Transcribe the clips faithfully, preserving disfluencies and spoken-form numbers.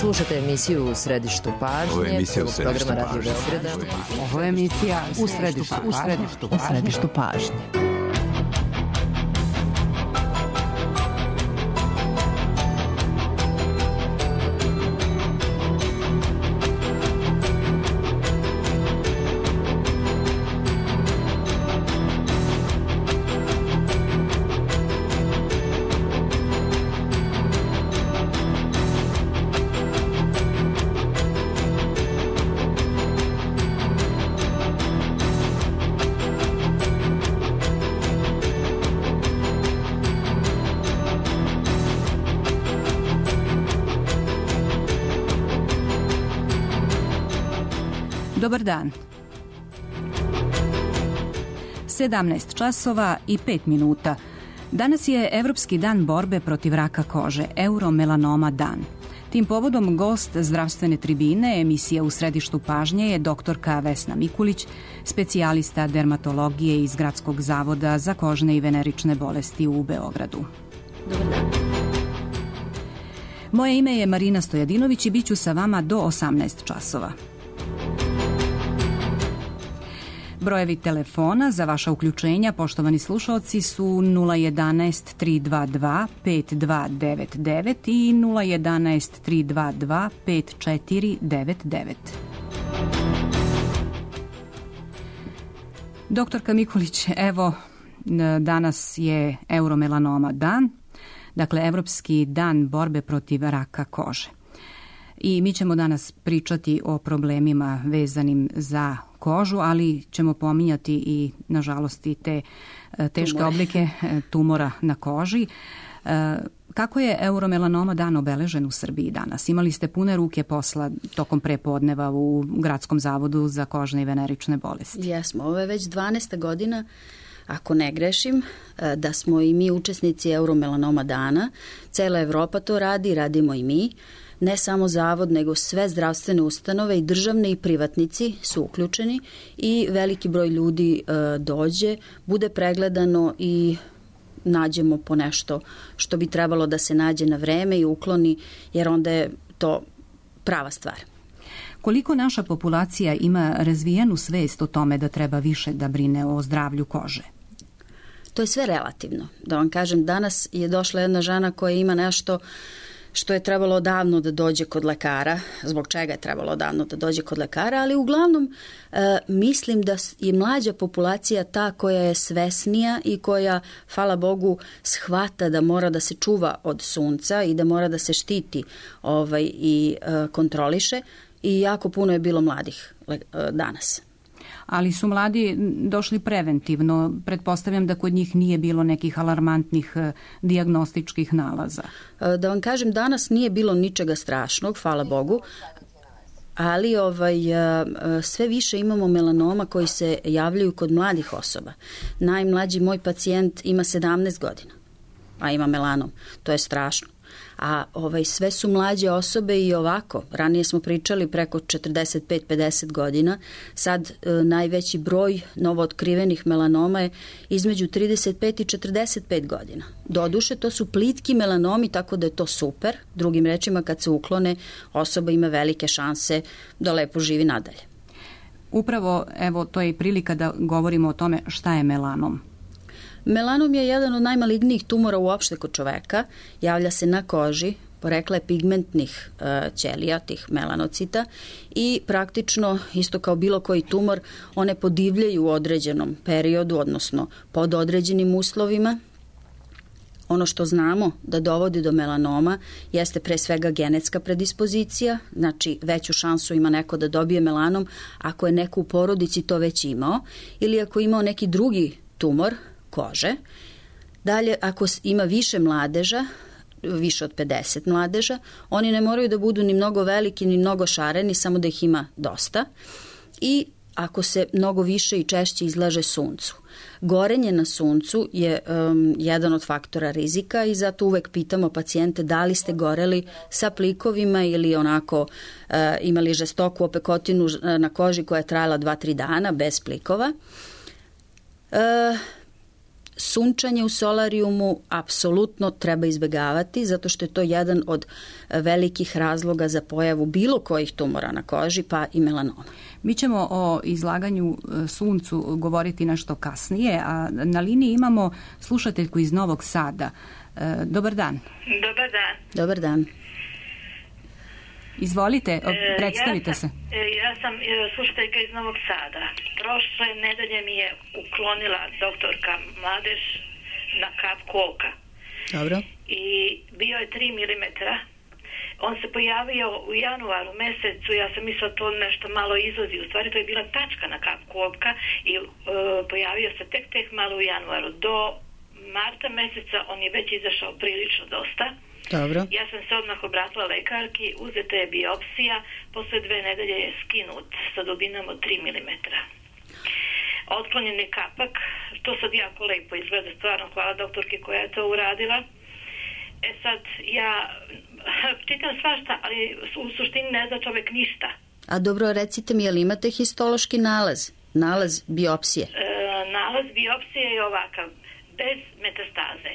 Slušate emisiju U središtu pažnje. Ovo je emisija U središtu programa Radio pažnje. Beograda. Ovo je emisija U središtu, u središtu, u središtu pažnje. Dobar dan. sedamnaest časova i pet minuta. Danas je Evropski dan borbe protiv raka kože, Euromelanoma dan. Tim povodom gost zdravstvene tribine emisija U središtu pažnje je doktorka Vesna Mikulić, specijalista dermatologije iz Gradskog zavoda za kožne i venerične bolesti u Beogradu. Dobar dan. Moje ime je Marina Stojadinović i bit ću sa vama do osamnaest časova. Brojevi telefona za vaša uključenja, poštovani slušalci, su nula jedanaest tri dva dva pet dva devet devet i nula jedanaest tri dva dva pet četiri devet devet. Doktorka Mikulić, evo, danas je Euromelanoma dan, dakle Evropski dan borbe protiv raka kože. I mi ćemo danas pričati o problemima vezanim za kožu, ali ćemo pominjati i, nažalost, i te teške Tumore. oblike tumora na koži. Kako je Euromelanoma dan obeležen u Srbiji danas? Imali ste pune ruke posla tokom prepodneva u Gradskom zavodu za kožne i venerične bolesti. Jesmo, ovo je već dvanaesta godina, ako ne grešim, da smo i mi učesnici Euromelanoma dana. Cela Evropa to radi, radimo i mi. Ne samo zavod, nego sve zdravstvene ustanove i državne i privatnici su uključeni i veliki broj ljudi e, dođe, bude pregledano i nađemo po nešto što bi trebalo da se nađe na vreme i ukloni, jer onda je to prava stvar. Koliko naša populacija ima razvijenu svest o tome da treba više da brine o zdravlju kože? To je sve relativno. Da vam kažem, danas je došla jedna žena koja ima nešto što je trebalo odavno da dođe kod lekara, zbog čega je trebalo odavno da dođe kod lekara, ali uglavnom e, mislim da je mlađa populacija ta koja je svesnija i koja, hvala Bogu, shvata da mora da se čuva od sunca i da mora da se štiti ovaj, i e, kontroliše, i jako puno je bilo mladih e, danas. Ali su mladi došli preventivno. Pretpostavljam da kod njih nije bilo nekih alarmantnih dijagnostičkih nalaza. Da vam kažem, danas nije bilo ničega strašnog, hvala Bogu, ali ovaj, sve više imamo melanoma koji se javljaju kod mladih osoba. Najmlađi moj pacijent ima sedamnaest godina, a ima melanom. To je strašno. A ovaj, sve su mlađe osobe i ovako. Ranije smo pričali preko četrdeset pet do pedeset godina. Sad e, najveći broj novootkrivenih melanoma je između trideset pet i četrdeset pet godina. Doduše, to su plitki melanomi, tako da je to super. Drugim rečima, kad se uklone, osoba ima velike šanse da lepo živi nadalje. Upravo, evo, to je i prilika da govorimo o tome šta je melanom. Melanom je jedan od najmalignijih tumora uopšte kod čoveka. Javlja se na koži, porekla je pigmentnih e, ćelija, tih melanocita, i praktično, isto kao bilo koji tumor, one podivljaju u određenom periodu, odnosno pod određenim uslovima. Ono što znamo da dovodi do melanoma jeste pre svega genetska predispozicija, znači veću šansu ima neko da dobije melanom ako je neko u porodici to već imao, ili ako je imao neki drugi tumor kože. Dalje, ako ima više mladeža, više od pedeset mladeža, oni ne moraju da budu ni mnogo veliki, ni mnogo šareni, samo da ih ima dosta. I ako se mnogo više i češće izlaže suncu. Gorenje na suncu je um, jedan od faktora rizika i zato uvek pitamo pacijente da li ste goreli sa plikovima ili onako uh, imali žestoku opekotinu na koži koja je trajala dva tri dana bez plikova. Uh, sunčanje u solarijumu apsolutno treba izbegavati, zato što je to jedan od velikih razloga za pojavu bilo kojih tumora na koži, pa i melanoma. Mi ćemo o izlaganju suncu govoriti nešto kasnije, a na liniji imamo slušateljku iz Novog Sada. Dobar dan. Dobar dan. Dobar dan. Izvolite, predstavite ja sam, se. Ja sam slušateljka iz Novog Sada. Prošle nedelje mi je uklonila doktorka mladež na kapku oka. Dobro. I bio je tri milimetra. On se pojavio u januaru mesecu, ja sam mislila to nešto malo izlazi. U stvari to je bila tačka na kapku oka i uh, pojavio se tek tek malo u januaru. Do marta meseca on je već izašao prilično dosta. Dobro. Ja sam se odmah obratila lekarki, uzeta je biopsija, posle dve nedelje je skinut sa dubinom od tri milimetra. Otklonjen je kapak, to sad jako lepo izgleda, stvarno hvala doktorki koja je to uradila. E sad, ja čitam svašta, ali u suštini ne zna čovek ništa. A dobro, recite mi, je li imate histološki nalaz? Nalaz biopsije? E, nalaz biopsije je ovakav, bez metastaze.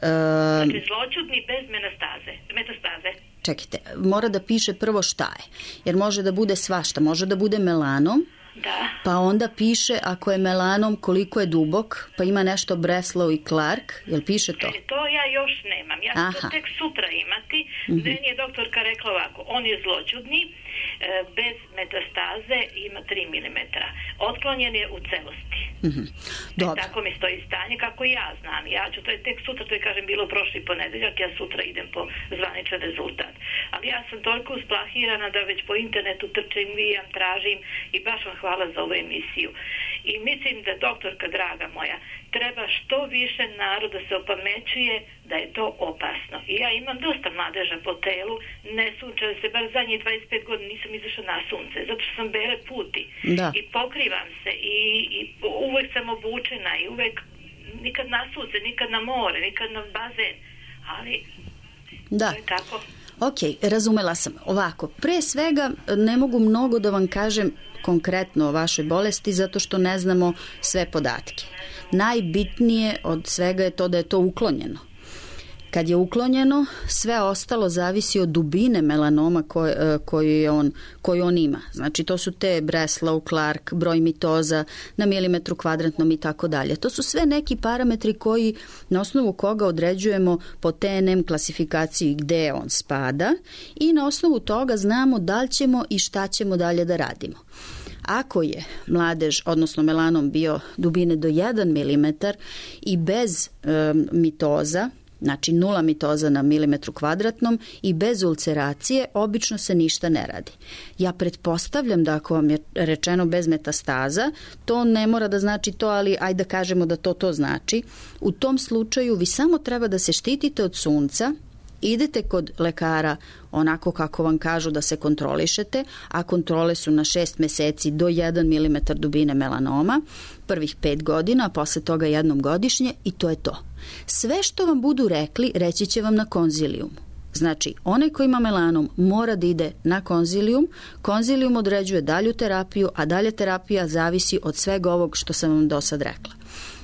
Um, Znači zloćudni bez metastaze. metastaze. Čekajte, mora da piše prvo šta je. Jer može da bude svašta. Može da bude melanom, Da. pa onda piše ako je melanom koliko je dubok, pa ima nešto Breslow i Clark. Jel piše to? E, to ja još nemam. Ja ću Aha. to tek sutra imati. Mm-hmm. Meni je doktorka rekla ovako, on je zloćudni, e, bez metastaze, ima tri milimetra. Otklonjen je u celosti. Mm-hmm. Dobro. E, tako mi stoji stanje kako ja znam. Ja ću to je tek sutra, to je kažem bilo prošli ponedeljak, ja sutra idem po zvaničan rezultat. Ali ja sam toliko usplahirana da već po internetu trčim, vijam, tražim i baš vam hvala za ovu emisiju. I mislim da doktorka draga moja, treba što više naroda se opamećuje da je to opasno. I ja imam dosta mladeža po telu, ne sunčam se, bar zadnjih dvadeset pet godina nisam izašla na sunce, zato što sam bele puti. Da. I pokrivam se i, i uvek sam obučena i uvek nikad na sunce, nikad na more, nikad na bazen, ali Da. to je tako. Ok, razumela sam. Ovako, pre svega ne mogu mnogo da vam kažem konkretno o vašoj bolesti zato što ne znamo sve podatke. Najbitnije od svega je to da je to uklonjeno. Kad je uklonjeno, sve ostalo zavisi od dubine melanoma koju, koju, on, koju on ima. Znači, to su te Breslow, Clark, broj mitoza na milimetru kvadratnom i tako dalje. To su sve neki parametri koji, na osnovu koga određujemo po T N M klasifikaciji gde on spada i na osnovu toga znamo da li ćemo i šta ćemo dalje da radimo. Ako je mladež, odnosno melanom bio dubine do jedan milimetar i bez um, mitoza, znači nula mitoza na milimetru kvadratnom i bez ulceracije, obično se ništa ne radi. Ja pretpostavljam da ako vam je rečeno bez metastaza, to ne mora da znači to, ali ajde da kažemo da to to znači. U tom slučaju vi samo treba da se štitite od sunca, idete kod lekara onako kako vam kažu da se kontrolišete, a kontrole su na šest meseci do jedan milimetar dubine melanoma, prvih pet godina, a posle toga jednom godišnje i to je to. Sve što vam budu rekli, reći će vam na konzilijumu. Znači, onaj ko ima melanom mora da ide na konzilijum, konzilijum određuje dalju terapiju, a dalja terapija zavisi od svega ovog što sam vam do sad rekla.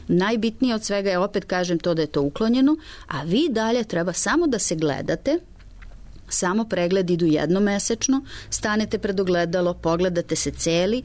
Najbitnije od svega je, opet kažem, to da je to uklonjeno, a vi dalje treba samo da se gledate, samo pregled idu jednomesečno, stanete pred ogledalo, pogledate se celi,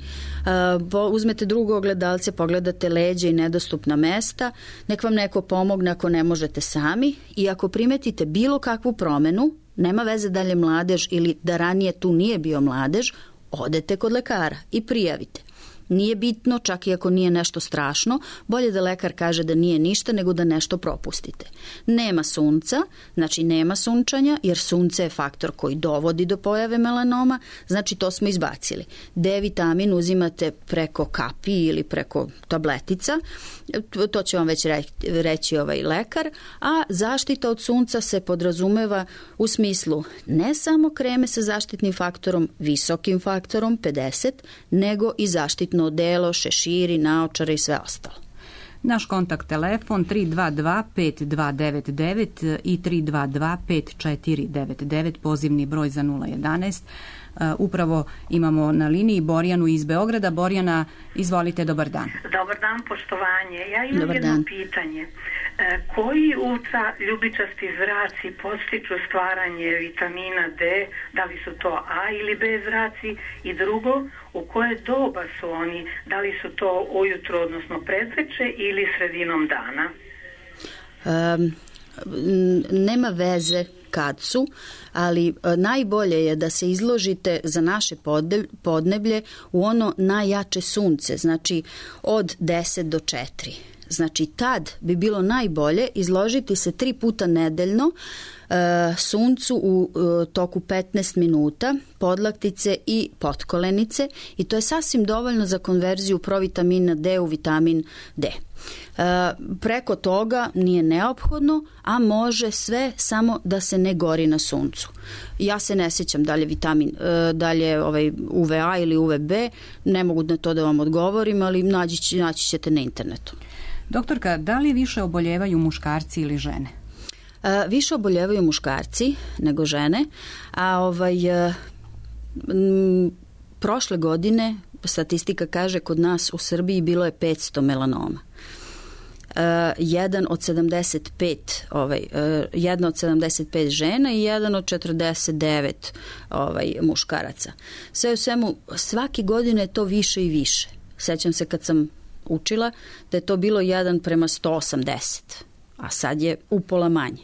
uh, uzmete drugo ogledalce, pogledate leđa i nedostupna mesta, nek vam neko pomogne ako ne možete sami i ako primetite bilo kakvu promenu, nema veze da li je mladež ili da ranije tu nije bio mladež, odete kod lekara i prijavite. Nije bitno, čak i ako nije nešto strašno, bolje da lekar kaže da nije ništa nego da nešto propustite. Nema sunca, znači nema sunčanja, jer sunce je faktor koji dovodi do pojave melanoma, znači to smo izbacili. D vitamin uzimate preko kapi ili preko tabletica, to će vam već reći ovaj lekar, a zaštita od sunca se podrazumeva u smislu ne samo kreme sa zaštitnim faktorom, visokim faktorom, pedeset, nego i zaštitno odelo, šeširi, naočare i sve ostalo. Naš kontakt telefon tri dva dva pet dva devet devet i tri dva dva pet četiri devet devet, pozivni broj za nula jedanaest. Upravo imamo na liniji Borjanu iz Beograda. Borjana, izvolite, dobar dan. Dobar dan, poštovanje. Ja imam dobar jedno dan. pitanje. E, koji ultra ljubičasti zraci podstiču stvaranje vitamina D? Da li su to A ili B zraci? I drugo, u koje doba su oni? Da li su to ujutro, odnosno predveče ili sredinom dana? Um, nema veze kad su, ali najbolje je da se izložite za naše podneblje u ono najjače sunce, znači od deset do četiri. Znači tad bi bilo najbolje izložiti se tri puta nedeljno e, suncu u e, toku petnaest minuta, podlaktice i potkolenice, i to je sasvim dovoljno za konverziju provitamina D u vitamin D. E, preko toga nije neophodno, a može sve samo da se ne gori na suncu. Ja se ne sjećam dalje vitamin, e, dalje ovaj U V A ili U V B, ne mogu na to da vam odgovorim, ali naći, naći ćete na internetu. Doktorka, da li više oboljevaju muškarci ili žene? E, više oboljevaju muškarci nego žene, a ovaj, e, m, prošle godine statistika kaže kod nas u Srbiji bilo je petsto melanoma. E, jedan od sedamdeset pet, ovaj, e, jedna od sedamdeset pet žena i jedan od četrdeset devet ovaj, muškaraca. Sve u svemu, svake godine je to više i više. Sećam se kad sam učila da je to bilo jedan prema sto osamdeset, a sad je upola manje.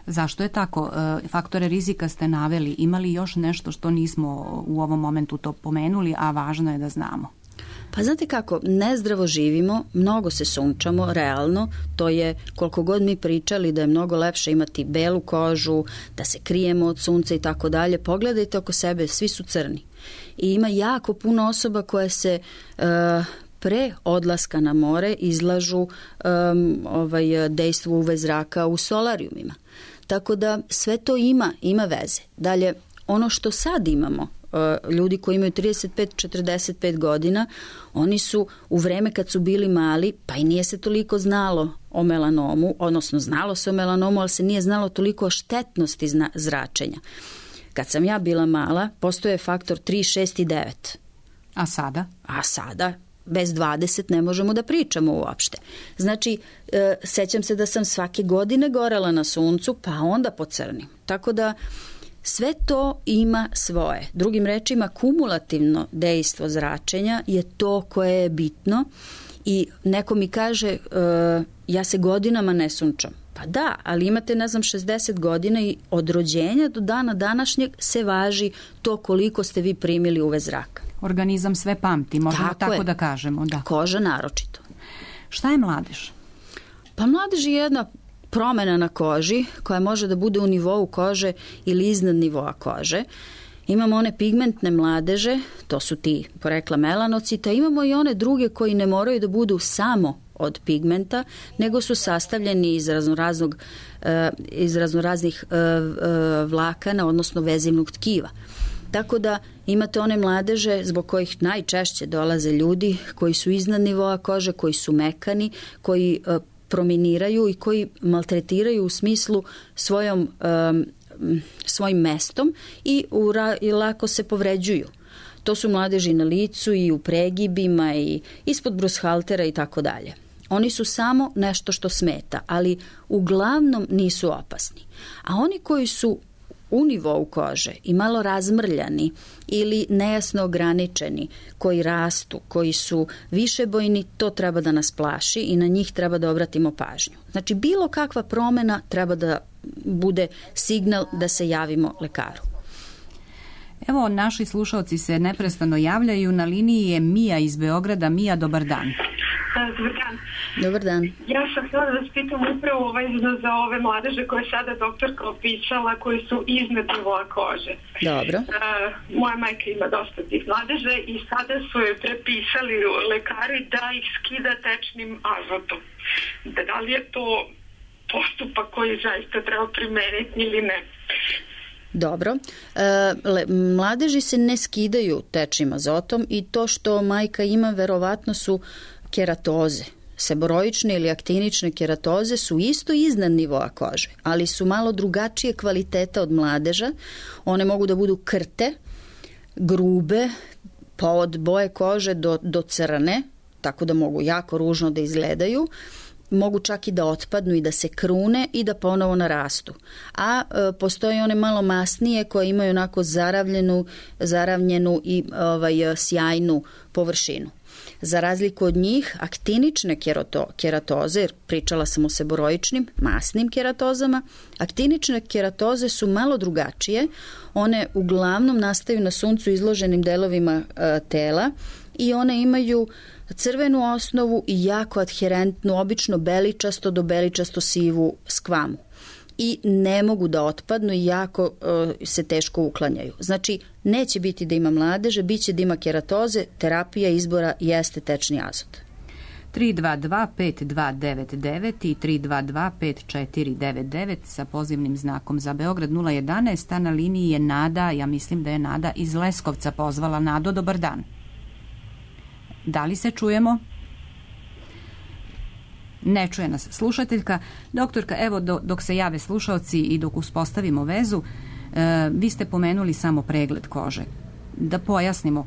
Zašto je tako? Faktore rizika ste naveli. Ima li još nešto što nismo u ovom momentu to pomenuli, a važno je da znamo? Pa znate kako, nezdravo živimo, mnogo se sunčamo, realno, to je koliko god mi pričali da je mnogo lepše imati belu kožu, da se krijemo od sunca i tako dalje. Pogledajte oko sebe, svi su crni. I ima jako puno osoba koje se uh, pre odlaska na more izlažu um, ovaj, dejstvu U V zraka u solarijumima. Tako da sve to ima, ima veze. Dalje, ono što sad imamo, uh, ljudi koji imaju trideset pet do četrdeset pet godina, oni su u vreme kad su bili mali, pa i nije se toliko znalo o melanomu, odnosno znalo se o melanomu, ali se nije znalo toliko o štetnosti zna, zračenja. Kad sam ja bila mala, postoje faktor tri, šest i devet. A sada? A sada bez dvadeset ne možemo da pričamo uopšte. Znači, e, sećam se da sam svake godine gorela na suncu, pa onda pocrnim. Tako da sve to ima svoje. Drugim rečima, kumulativno dejstvo zračenja je to koje je bitno i neko mi kaže e, ja se godinama ne sunčam. Pa da, ali imate, ne znam, šezdeset godina i od rođenja do dana današnjeg se važi to koliko ste vi primili U V zraka. Organizam sve pamti, možemo tako, tako da kažemo. Da. Koža naročito. Šta je mladež? Pa mladež je jedna promjena na koži koja može da bude u nivou kože ili iznad nivoa kože. Imamo one pigmentne mladeže, to su ti porekla melanocita, imamo i one druge koji ne moraju da budu samo od pigmenta, nego su sastavljeni iz raznoraznog, iz raznoraznih vlakana, odnosno vezivnog tkiva. Tako da imate one mladeže zbog kojih najčešće dolaze ljudi koji su iznad nivoa kože, koji su mekani, koji prominiraju i koji maltretiraju u smislu svojom, svojim mestom i, ura, i lako se povređuju. To su mladeži na licu i u pregibima i ispod brushaltera i tako dalje. Oni su samo nešto što smeta, ali uglavnom nisu opasni. A oni koji su u nivou kože i malo razmrljani ili nejasno ograničeni, koji rastu, koji su višebojni, to treba da nas plaši i na njih treba da obratimo pažnju. Znači, bilo kakva promjena treba da bude signal da se javimo lekaru. Evo, naši slušalci se neprestano javljaju. Na liniji je Mija iz Beograda. Mija, dobar dan. Dobar dan. Dobar dan. Ja sam htjela da vas pitam upravo vezano za ove mladeže koje je sada doktorka opisala, koji su iznad nivoa kože. Dobro. Uh, moja majka ima dosta tih mladeže i sada su je prepisali lekari da ih skida tečnim azotom. Da li je to postupak koji zaista treba primeniti ili ne? Dobro. E, mladeži se ne skidaju tečnim azotom i to što majka ima verovatno su keratoze. Seboroične ili aktinične keratoze su isto iznad nivoa kože, ali su malo drugačije kvaliteta od mladeža. One mogu da budu krte, grube, pa od boje kože do, do crne, tako da mogu jako ružno da izgledaju, mogu čak i da otpadnu i da se krune i da ponovo narastu. A e, postoje one malo masnije koje imaju onako zaravljenu, zaravljenu i ovaj, sjajnu površinu. Za razliku od njih, aktinične kerato, keratoze, jer pričala sam o seboroičnim, masnim keratozama, aktinične keratoze su malo drugačije. One uglavnom nastaju na suncu izloženim delovima e, tela i one imaju crvenu osnovu i jako adherentnu, obično beličasto do beličasto sivu skvamu. I ne mogu da otpadnu i jako uh, se teško uklanjaju. Znači, neće biti da ima mladeže, bit će da ima keratoze, terapija izbora jeste tečni azot. tri dva dva pet dva devet devet i tri dva dva pet četiri devet devet sa pozivnim znakom za Beograd nula jedanaest, a na liniji je Nada, ja mislim da je Nada iz Leskovca pozvala. Nado, dobar dan. Da li se čujemo? Ne čuje nas slušateljka. Doktorka, evo do, dok se jave slušaoci i dok uspostavimo vezu, e, vi ste pomenuli samo pregled kože. Da pojasnimo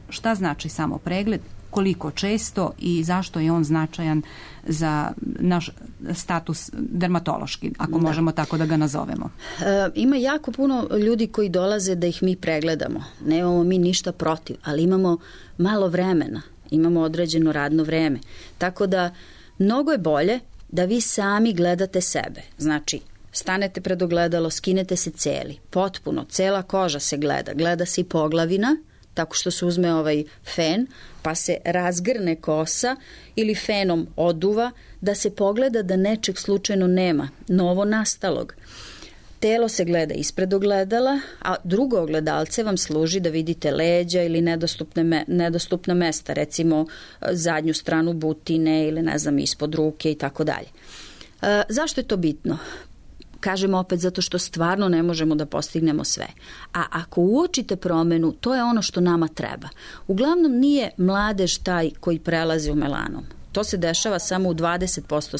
šta znači samo pregled, koliko često i zašto je on značajan za naš status dermatološki, ako da. možemo tako da ga nazovemo. E, ima jako puno ljudi koji dolaze da ih mi pregledamo. Nemamo mi ništa protiv, ali imamo malo vremena, imamo određeno radno vreme. Tako da mnogo je bolje da vi sami gledate sebe. Znači, stanete pred ogledalo, skinete se celi, potpuno, cela koža se gleda, gleda se i poglavina, tako što se uzme ovaj fen, pa se razgrne kosa ili fenom oduva, da se pogleda da nečeg slučajno nema, novo nastalog. Telo se gleda ispred ogledala, a drugo ogledalce vam služi da vidite leđa ili nedostupne me, nedostupna mesta, recimo zadnju stranu butine ili ne znam ispod ruke i tako dalje. E, zašto je to bitno? Kažem opet zato što stvarno ne možemo da postignemo sve. A ako uočite promenu, to je ono što nama treba. Uglavnom nije mladež taj koji prelazi u melanom. To se dešava samo u dvadeset posto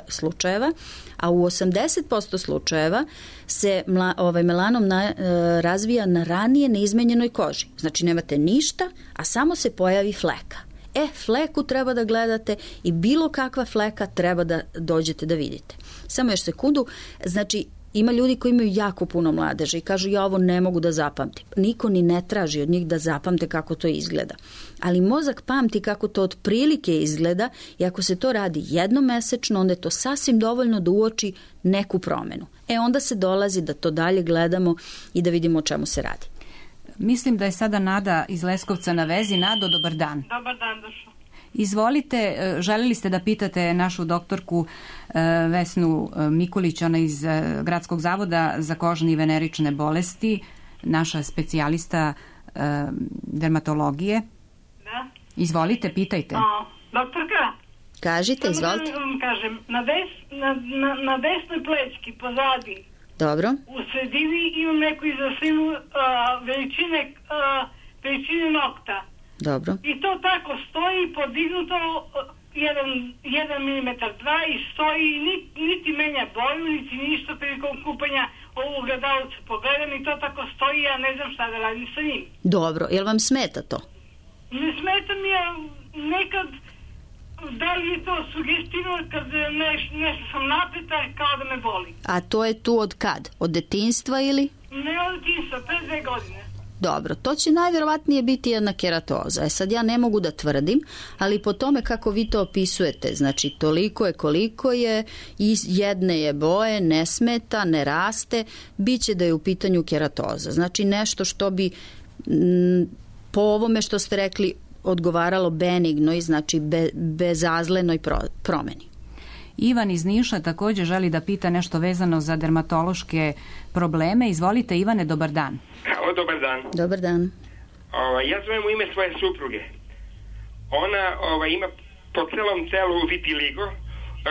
slučajeva, a u osamdeset posto slučajeva se mla, ovaj melanom na, e, razvija na ranije neizmenjenoj koži. Znači nemate ništa, a samo se pojavi fleka. E, fleku treba da gledate i bilo kakva fleka treba da dođete da vidite. Samo još sekundu, znači ima ljudi koji imaju jako puno mladeže i kažu ja ovo ne mogu da zapamtim. Niko ni ne traži od njih da zapamte kako to izgleda. Ali mozak pamti kako to otprilike izgleda i ako se to radi jednomesečno, onda je to sasvim dovoljno da uoči neku promenu. E onda se dolazi da to dalje gledamo i da vidimo o čemu se radi. Mislim da je sada Nada iz Leskovca na vezi. Nado, dobar dan. Dobar dan, došlo. Izvolite, želeli ste da pitate našu doktorku Vesnu Mikulić, ona iz Gradskog zavoda za kožne i venerične bolesti, naša specijalista dermatologije. Da. Izvolite, pitajte. O, doktorka? Kažite, izvolite. Samo da vam kažem, na, des, na, na, na desnoj plećki, pozadi, dobro. U sredini imam neku izaslinu uh, veličine, uh, veličine nokta. Dobro. I to tako stoji podignuto jedan, jedan milimetar, dva i stoji, niti, niti menja boju, niti ništa prilikom kupanja ovu gledalcu pogledam i to tako stoji, ja ne znam šta da radim sa njim. Dobro, jel vam smeta to? Ne smeta mi, ja nekad, da li je to sugestivno kad neš, nešto sam napeta kao da me boli. A to je tu od kad? Od detinjstva ili? Ne od detinjstva, pre dve godine. Dobro, to će najvjerovatnije biti jedna keratoza. E sad ja ne mogu da tvrdim, ali po tome kako vi to opisujete, znači toliko je koliko je, iz jedne je boje, ne smeta, ne raste, bit će da je u pitanju keratoza. Znači nešto što bi m, po ovome što ste rekli odgovaralo benignoj, znači be, bezazlenoj pro, promeni. Ivan iz Niša također želi da pita nešto vezano za dermatološke probleme. Izvolite, Ivane, dobar dan. O, dobar dan. Dobar dan. O, ja zovem u ime svoje supruge. Ona o, ima po celom telu vitiligo,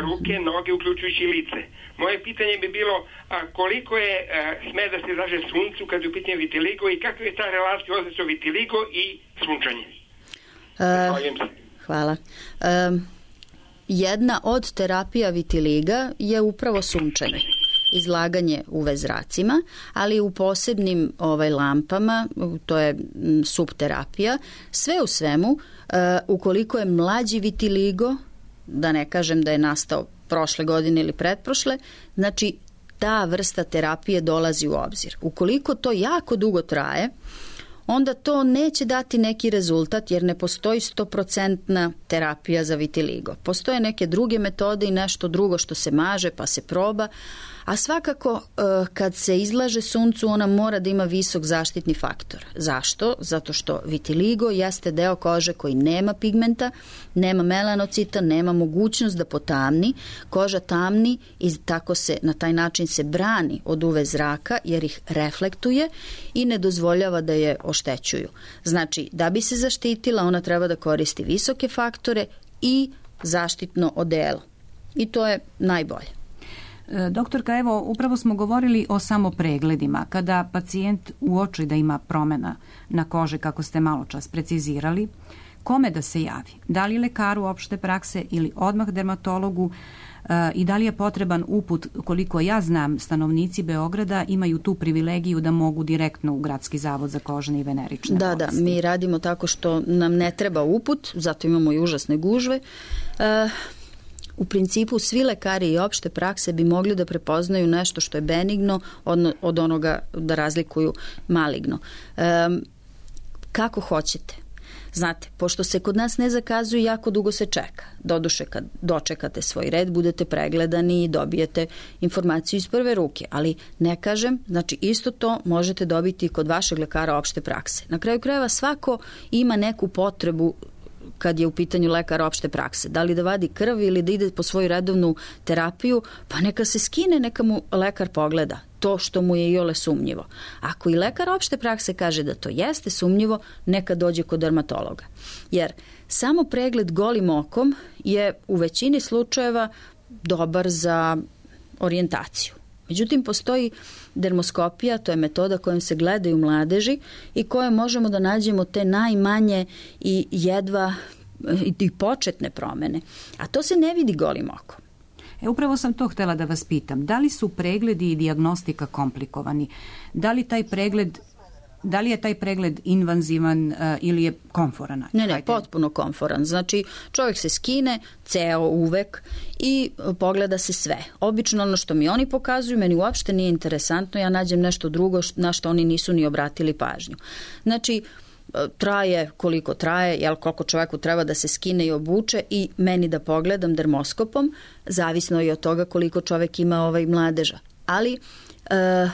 ruke, noge, uključujući lice. Moje pitanje bi bilo a, koliko je a, sme da se izlaže suncu kad je u pitanju vitiligo i kakva je ta relacija odnosa vitiligo i sunčanje? Uh, hvala. Um, Jedna od terapija vitiliga je upravo sunčanje. izlaganje U V zracima, ali u posebnim ovaj, lampama, to je subterapija. Sve u svemu, uh, ukoliko je mlađi vitiligo, da ne kažem da je nastao prošle godine ili pretprošle, znači ta vrsta terapije dolazi u obzir. Ukoliko to jako dugo traje, onda to neće dati neki rezultat jer ne postoji stoprocentna terapija za vitiligo. Postoje neke druge metode i nešto drugo što se maže pa se proba, a svakako kad se izlaže suncu ona mora da ima visok zaštitni faktor. Zašto? Zato što vitiligo jeste deo kože koji nema pigmenta, nema melanocita, nema mogućnost da potamni. Koža tamni i tako se na taj način se brani od U V zraka jer ih reflektuje i ne dozvoljava da je oštećuju. Znači, da bi se zaštitila, ona treba da koristi visoke faktore i zaštitno odelo. I to je najbolje. Doktorka, evo, upravo smo govorili o samopregledima. Kada pacijent uoči da ima promjena na koži, kako ste malo čas precizirali, kome da se javi? Da li lekaru opšte prakse ili odmah dermatologu i da li je potreban uput? Koliko ja znam, stanovnici Beograda imaju tu privilegiju da mogu direktno u Gradski zavod za kožne i venerične da, bolesti. Da, mi radimo tako što nam ne treba uput, zato imamo i užasne gužve. Uh, U principu svi lekari i opšte prakse bi mogli da prepoznaju nešto što je benigno od, od onoga da razlikuju maligno. Um, kako hoćete? Znate, pošto se kod nas ne zakazuje, jako dugo se čeka. Doduše, kad dočekate svoj red, budete pregledani i dobijete informaciju iz prve ruke. Ali ne kažem, znači isto to možete dobiti kod vašeg lekara opšte prakse. Na kraju krajeva svako ima neku potrebu kad je u pitanju lekar opšte prakse. Da li da vadi krv ili da ide po svoju redovnu terapiju, pa neka se skine, neka mu lekar pogleda to što mu je iole sumnjivo. Ako i lekar opšte prakse kaže da to jeste sumnjivo, neka dođe kod dermatologa. Jer samo pregled golim okom je u većini slučajeva dobar za orijentaciju. Međutim, postoji dermoskopija, to je metoda kojom se gledaju mladeži i kojom možemo da nađemo te najmanje i jedva i početne promene. A to se ne vidi golim okom. E, upravo sam to htjela da vas pitam. Da li su pregledi i dijagnostika komplikovani? Da li taj pregled Da li je taj pregled invazivan uh, ili je komforan? Ne, ne, potpuno komforan. Znači, čovjek se skine ceo uvek i pogleda se sve. Obično ono što mi oni pokazuju, meni uopšte nije interesantno, ja nađem nešto drugo na što oni nisu ni obratili pažnju. Znači, traje koliko traje, jel, koliko čovjeku treba da se skine i obuče i meni da pogledam dermoskopom, zavisno i od toga koliko čovjek ima ovaj mladeža. Ali uh,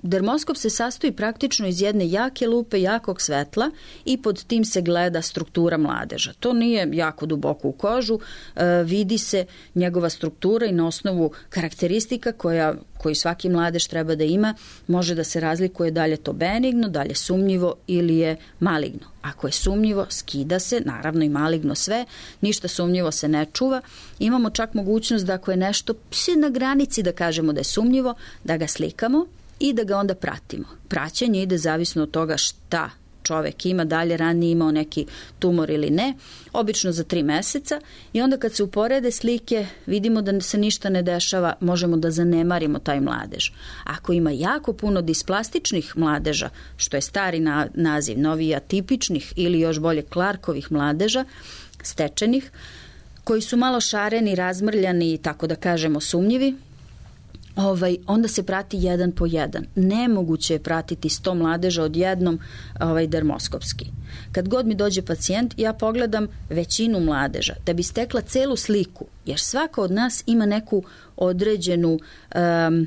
dermoskop se sastoji praktično iz jedne jake lupe, jakog svetla i pod tim se gleda struktura mladeža. To nije jako duboko u kožu, e, vidi se njegova struktura i na osnovu karakteristika koja, koji svaki mladež treba da ima, može da se razlikuje da li je to benigno, da li je sumnjivo ili je maligno. Ako je sumnjivo, skida se, naravno i maligno sve, ništa sumnjivo se ne čuva. Imamo čak mogućnost da ako je nešto na granici da kažemo da je sumnjivo, da ga slikamo i da ga onda pratimo. Praćenje ide zavisno od toga šta čovek ima, dalje ranije imao neki tumor ili ne, obično za tri meseca i onda kad se uporede slike, vidimo da se ništa ne dešava, možemo da zanemarimo taj mladež. Ako ima jako puno displastičnih mladeža, što je stari na, naziv, novi atipičnih ili još bolje Clarkovih mladeža, stečenih, koji su malo šareni, razmrljani i tako da kažemo sumnjivi, Ovaj, onda se prati jedan po jedan. Nemoguće je pratiti sto mladeža odjednom ovaj, dermoskopski. Kad god mi dođe pacijent, ja pogledam većinu mladeža da bi stekla celu sliku, jer svaka od nas ima neku određenu um,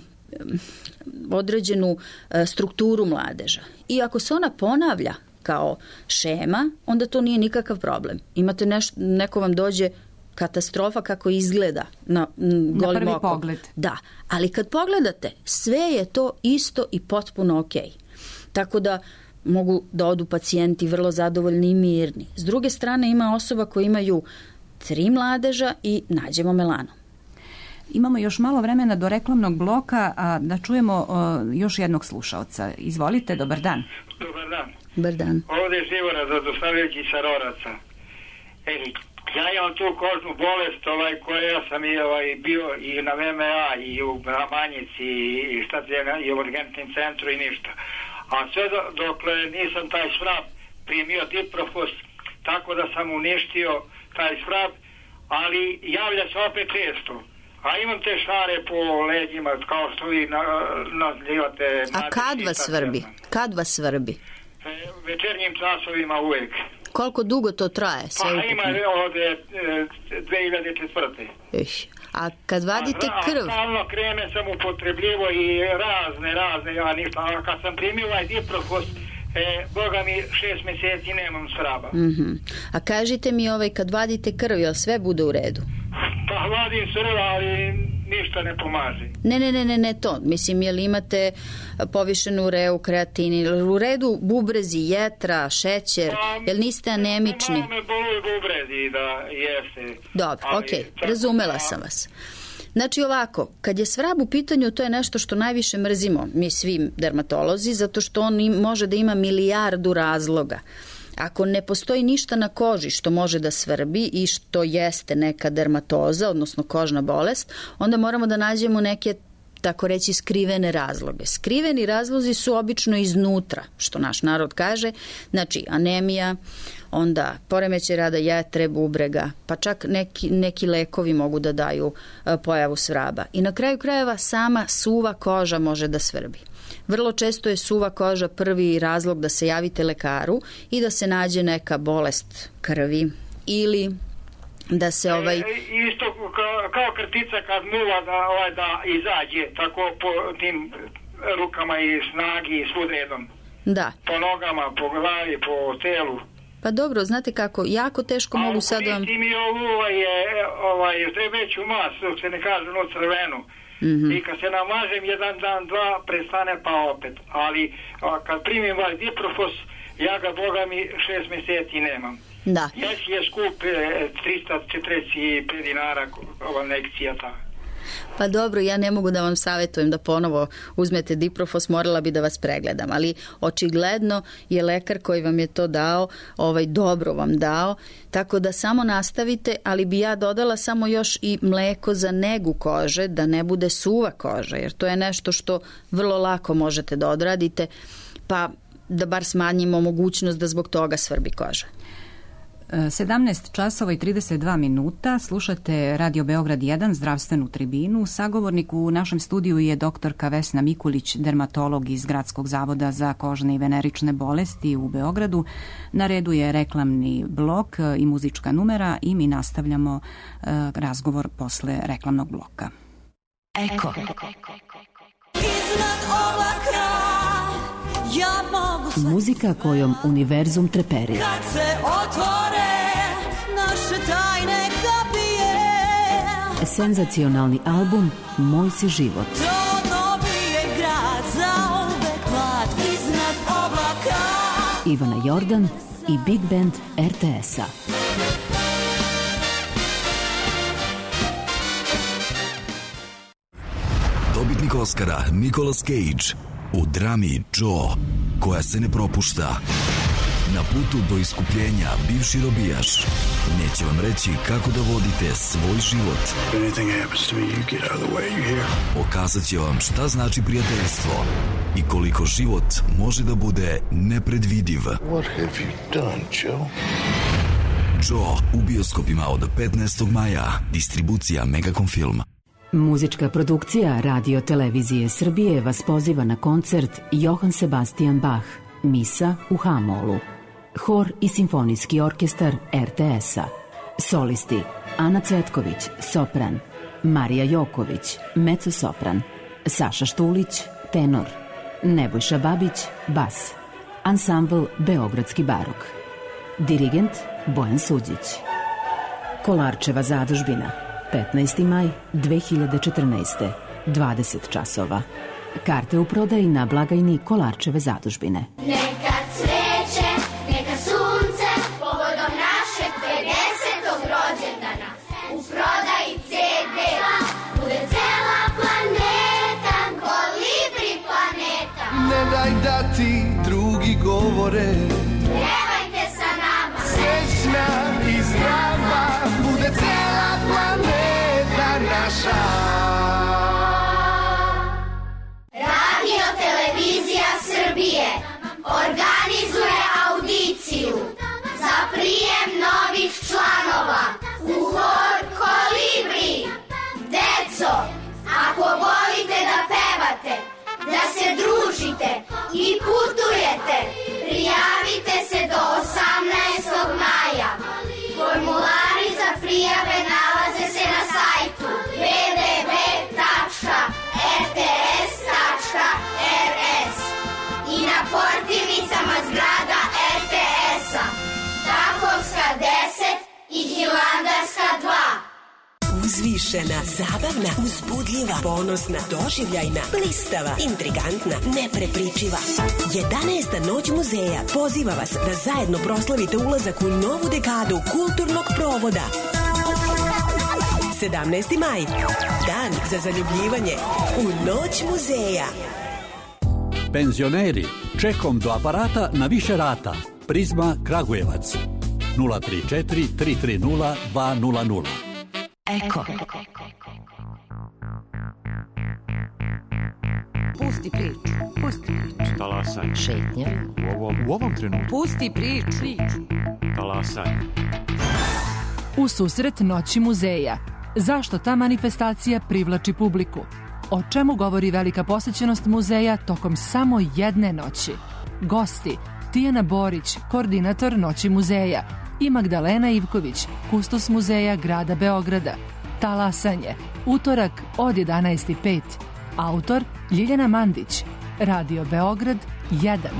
određenu uh, strukturu mladeža. I ako se ona ponavlja kao šema, onda to nije nikakav problem. Imate neš, neko vam dođe katastrofa kako izgleda na, m, na prvi okom. pogled. Da, ali kad pogledate, sve je to isto i potpuno ok. Tako da mogu da odu pacijenti vrlo zadovoljni i mirni. S druge strane ima osoba koji imaju tri mladeža i nađemo melanom. Imamo još malo vremena do reklamnog bloka, a da čujemo o, još jednog slušaoca. Izvolite, dobar dan. Dobar dan. Dobar dan. Ovdje je Živora Zadostavljević iz Saroraca. E, Ja imam tu kožnu bolest ovaj, koja sam i, ovaj, bio i na V M A i u Ramanjici i, šta te, i u urgentnom centru i ništa. A sve do, dokle nisam taj svrab primio Diprofos, tako da sam uništio taj svrab, ali javlja se opet često. A imam te šare po leđima, kao što vi nazivate. A kad vas svrbi? Kad vas svrbi? Večernjim časovima uvek. Koliko dugo to traje? Sve pa ima od dve hiljade četvrte. A kad vadite krv? Stalno kreme sam upotrebljivo i razne, razne, ja ništa. A kad sam primio ovaj Diprofos, e, Boga mi šest mjeseci nemam svraba. Mm-hmm. A kažite mi, ovaj, kad vadite krv, jel sve bude u redu? Pa vadim crv, ali ništa ne pomaže. Ne, ne, ne, ne, ne to. Mislim, jel imate povišenu ureu, kreatin, u redu bubrezi, jetra, šećer, pa, jel niste anemični? Malo me boluju bubrezi, da jeste. Dobro, ali, okej, okay, razumela sam vas. Znači ovako, kad je svrab u pitanju, to je nešto što najviše mrzimo mi svi dermatolozi, zato što on im, može da ima milijardu razloga. Ako ne postoji ništa na koži što može da svrbi i što jeste neka dermatoza, odnosno kožna bolest, onda moramo da nađemo neke, tako reći, skrivene razloge. Skriveni razlozi su obično iznutra, što naš narod kaže, znači anemija, onda poremećaj rada jetre, bubrega, pa čak neki, neki lekovi mogu da daju a, pojavu svraba. I na kraju krajeva sama suva koža može da svrbi. Vrlo često je suva koža prvi razlog da se javite lekaru i da se nađe neka bolest krvi ili da se ovaj... E, isto kao, kao krtica kad muva da, ovaj, da izađe tako po tim rukama i snagi i svud redom. Da. Po nogama, po glavi, po telu. Pa dobro, znate kako, jako teško mogu sad vam... A mi ovu ovaj, ovaj, veću masu, se ne kaže ono crvenu. Mm-hmm. I kad se namažem jedan dan, dva, prestane pa opet. Ali a, kad primim ovaj Diprofos, ja ga, Boga mi, šest mjeseci nemam. Da. Ja si je skup e, trista četrdeset pet dinara ova nekcija ta. Pa dobro, ja ne mogu da vam savjetujem da ponovo uzmete Diprofos, morala bi da vas pregledam, ali očigledno je lekar koji vam je to dao, ovaj dobro vam dao, tako da samo nastavite, ali bi ja dodala samo još i mleko za negu kože, da ne bude suva koža, jer to je nešto što vrlo lako možete da odradite, pa da bar smanjimo mogućnost da zbog toga svrbi koža. sedamnaest časova i trideset dva minuta, slušate Radio Beograd jedan, zdravstvenu tribinu. Sagovornik u našem studiju je doktorka Vesna Mikulić, dermatolog iz Gradskog zavoda za kožne i venerične bolesti u Beogradu. Na redu je reklamni blok i muzička numera i mi nastavljamo uh, razgovor posle reklamnog bloka. Eko. Iznad oblaka ja mogu sve... Muzika kojom univerzum treperi. Kad se otvore naše tajne kapije. Senzacionalni album Moj si život. To dobije grad za uvek mlad iznad oblaka. Ivana Jordan i Big Band er te es-a. Dobitnik Oscara Nicolas Cage u drami Joe, koja se ne propušta. Na putu do iskupljenja bivši robijaš neće vam reći kako da vodite svoj život. Pokazat će vam šta znači prijateljstvo i koliko život može da bude nepredvidiv. What have you done, Joe? Joe u bioskopima od petnaestog maja. Distribucija Megacom Film. Muzička produkcija Radio Televizije Srbije vas poziva na koncert Johann Sebastian Bach, Misa u Ha-molu. Hor i simfonijski orkestar er te es-a. Solisti Ana Cvetković, sopran, Marija Joković, mezzo-sopran, Saša Štulić, tenor, Nebojša Babić, bas. Ansambl Beogradski barok. Dirigent Bojan Suđić. Kolarčeva zadužbina, petnaesti maj dve hiljade četrnaeste, dvadeset časova. Karte u prodaji na blagajni Kolarčeve zadužbine. Neka cveće, neka sunce, povodom našeg pedesetog rođendana. U prodaji ce de, bude cela planeta, kolibri planeta. Ne daj da ti drugi govore, pevajte sa nama, srećna i zdrava. naša. Radio Televizija Srbije organizuje audiciju za prijem novih članova u hor Kolibri. Deco, ako volite da pevate, da se družite i putujete, prijavite se do osamnaestog maja. Formulari za prijave nalaze se na sajtu w w w tačka r t s tačka r s i na portirnicama zgrada er te esa, Takovska deset i Hilandarska dva. Uzvišena, zabavna, uzbudljiva, ponosna, doživljajna, blistava, intrigantna, neprepričiva. jedanaesta noć muzeja poziva vas da zajedno proslavite ulazak u novu dekadu kulturnog provoda. sedamnaesti maj, dan za zaljubljivanje u Noć muzeja. Penzioneri, čekom do aparata na više rata. Prizma Kragujevac. nula tri četiri tri tri nula dva nula nula. Eko. Pusti priču. Pusti priču. Talasaj. Šetnja. U ovom, u ovom trenutku. Pusti priču. Talasaj. U susret Noći muzeja. Zašto ta manifestacija privlači publiku? O čemu govori velika posećenost muzeja tokom samo jedne noći? Gosti: Tijana Borić, koordinator Noći muzeja, i Magdalena Ivković, kustos muzeja grada Beograda. Talasanje, utorak od jedanaest i pet. Autor Ljiljana Mandić. Radio Beograd jedan.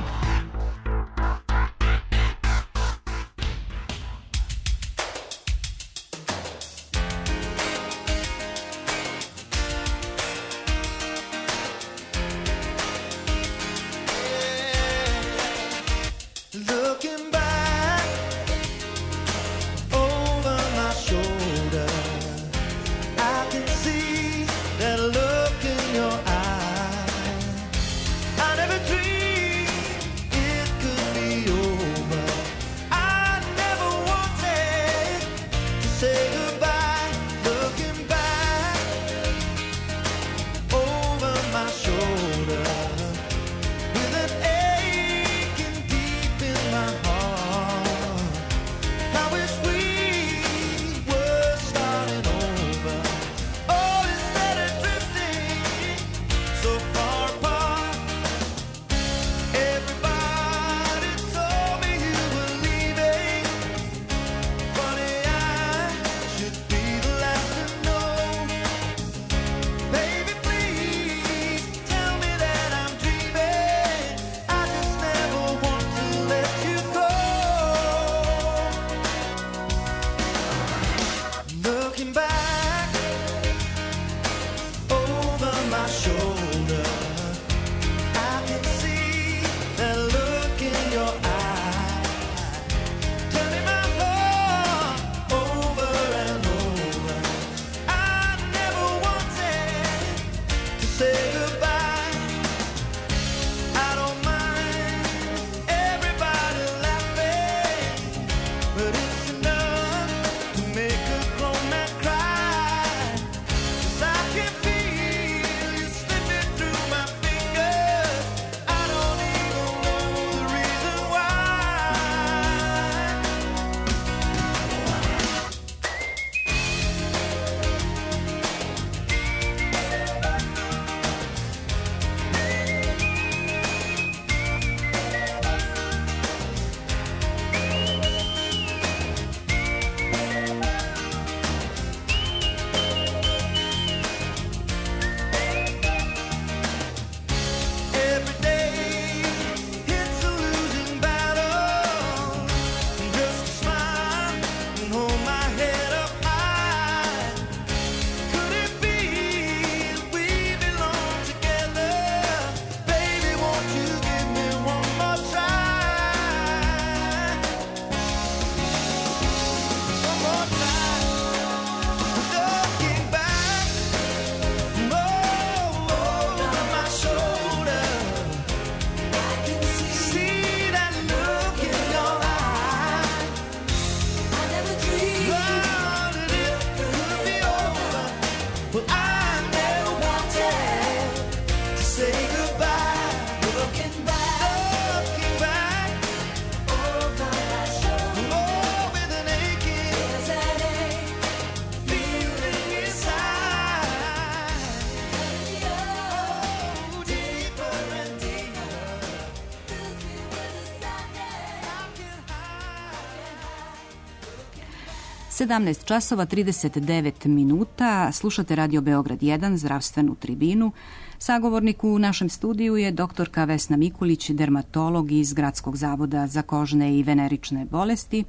sedamnaest časova trideset devet minuta. Slušate Radio Beograd jedan, zdravstvenu tribinu. Sagovornik u našem studiju je doktorka Vesna Mikulić, dermatolog iz Gradskog zavoda za kožne i venerične bolesti.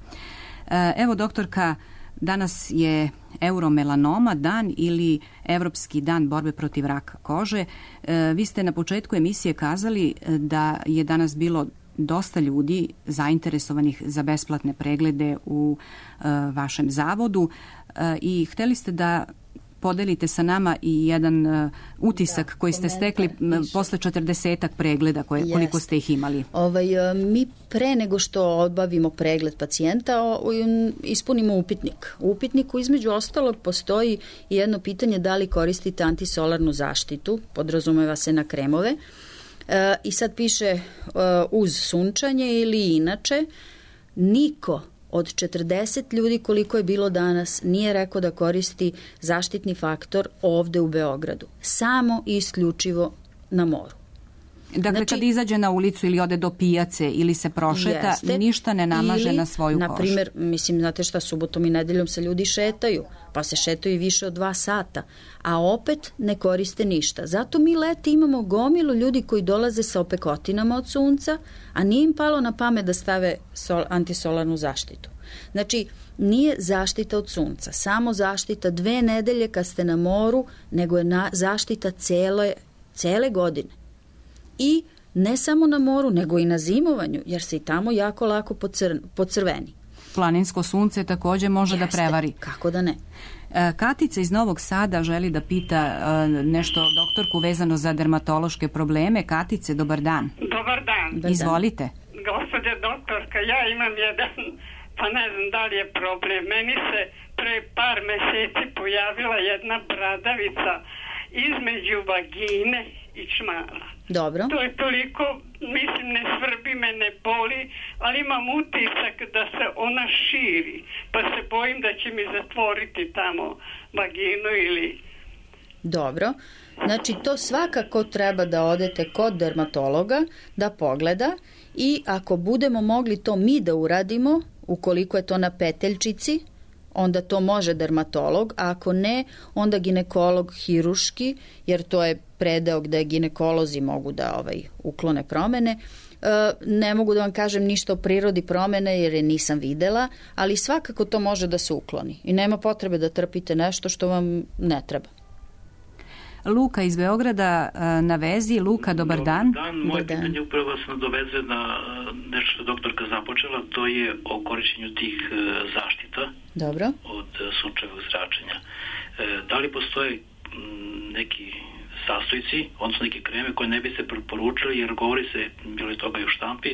Evo, doktorka, danas je Euromelanoma dan ili Evropski dan borbe protiv raka kože. Vi ste na početku emisije kazali da je danas bilo dosta ljudi zainteresovanih za besplatne preglede u uh, vašem zavodu uh, i hteli ste da podelite sa nama i jedan uh, utisak da, koji ste stekli više. Posle četrdesetak pregleda koje, koliko ste ih imali. Ovaj, mi pre nego što obavimo pregled pacijenta ispunimo upitnik. U upitniku između ostalog postoji jedno pitanje da li koristite antisolarnu zaštitu, podrazumeva se na kremove. E, I sad piše e, uz sunčanje ili inače. Niko od četrdeset ljudi koliko je bilo danas nije rekao da koristi zaštitni faktor ovde u Beogradu. Samo i isključivo na moru. Dakle, znači, kad izađe na ulicu ili ode do pijace ili se prošeta, jeste, ništa ne namaže ili, na svoju kožu. Na primjer, mislim, znate šta, subotom i nedeljom se ljudi šetaju, pa se šetaju i više od dva sata, a opet ne koriste ništa. Zato mi leti imamo gomilu ljudi koji dolaze sa opekotinama od sunca, a nije im palo na pamet da stave sol, antisolarnu zaštitu. Znači, nije zaštita od sunca, samo zaštita dve nedelje kad ste na moru, nego je na, zaštita cele, cele godine. I ne samo na moru, nego i na zimovanju, jer se i tamo jako lako pocr, pocrveni. Planinsko sunce takođe može Jeste, da prevari. Kako da ne. Katica iz Novog Sada želi da pita nešto doktorku vezano za dermatološke probleme. Katice, dobar dan. Dobar dan. Izvolite. Gospođa doktorka, ja imam jedan, pa ne znam da li je problem. Meni se pre par meseci pojavila jedna bradavica između vagine i čmara. Dobro. To je toliko, mislim, ne svrbi me, ne boli, ali imam utisak da se ona širi, pa se bojim da će mi zatvoriti tamo vaginu ili... Dobro. Znači, to svakako treba da odete kod dermatologa, da pogleda i ako budemo mogli to mi da uradimo, ukoliko je to na peteljčici, onda to može dermatolog, a ako ne, onda ginekolog hiruški, jer to je predeo gde ginekolozi mogu da ovaj, uklone promene. E, ne mogu da vam kažem ništa o prirodi promene, jer je nisam videla, ali svakako to može da se ukloni. I nema potrebe da trpite nešto što vam ne treba. Luka iz Beograda na vezi. Luka, dobar dan. Dobar dan. Moje dan. Pitanje upravo vas nadoveze na nešto što doktorka započela, to je o korišćenju tih zaštita. Dobro. Od sunčevog zračenja. Da li postoje neki sastojci, odnosno neke kreme koje ne bi se preporučili, jer govori se, bilo je toga i u štampi,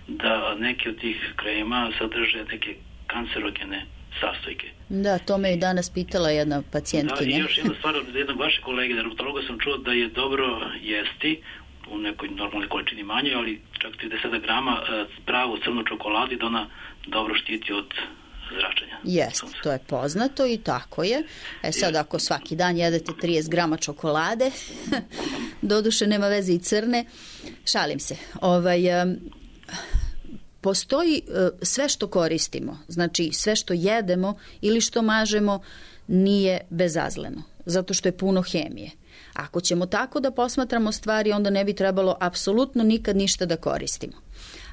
da neke od tih krema sadrže neke kancerogene sastojke. Da, to me i danas pitala jedna pacijentkinja. Da, i još jedna stvar od jednog vašeg kolege, dermatologa, sam čuo da je dobro jesti u nekoj normalnoj količini manje, ali čak trideset grama pravu crnu čokoladu, da ona dobro štiti od zračenja. Jest, to je poznato i tako je. E sad, ako svaki dan jedete trideset grama čokolade, doduše nema veze i crne, šalim se. Ovaj... Um, Postoji sve što koristimo, znači sve što jedemo ili što mažemo nije bezazleno, zato što je puno hemije. Ako ćemo tako da posmatramo stvari, onda ne bi trebalo apsolutno nikad ništa da koristimo.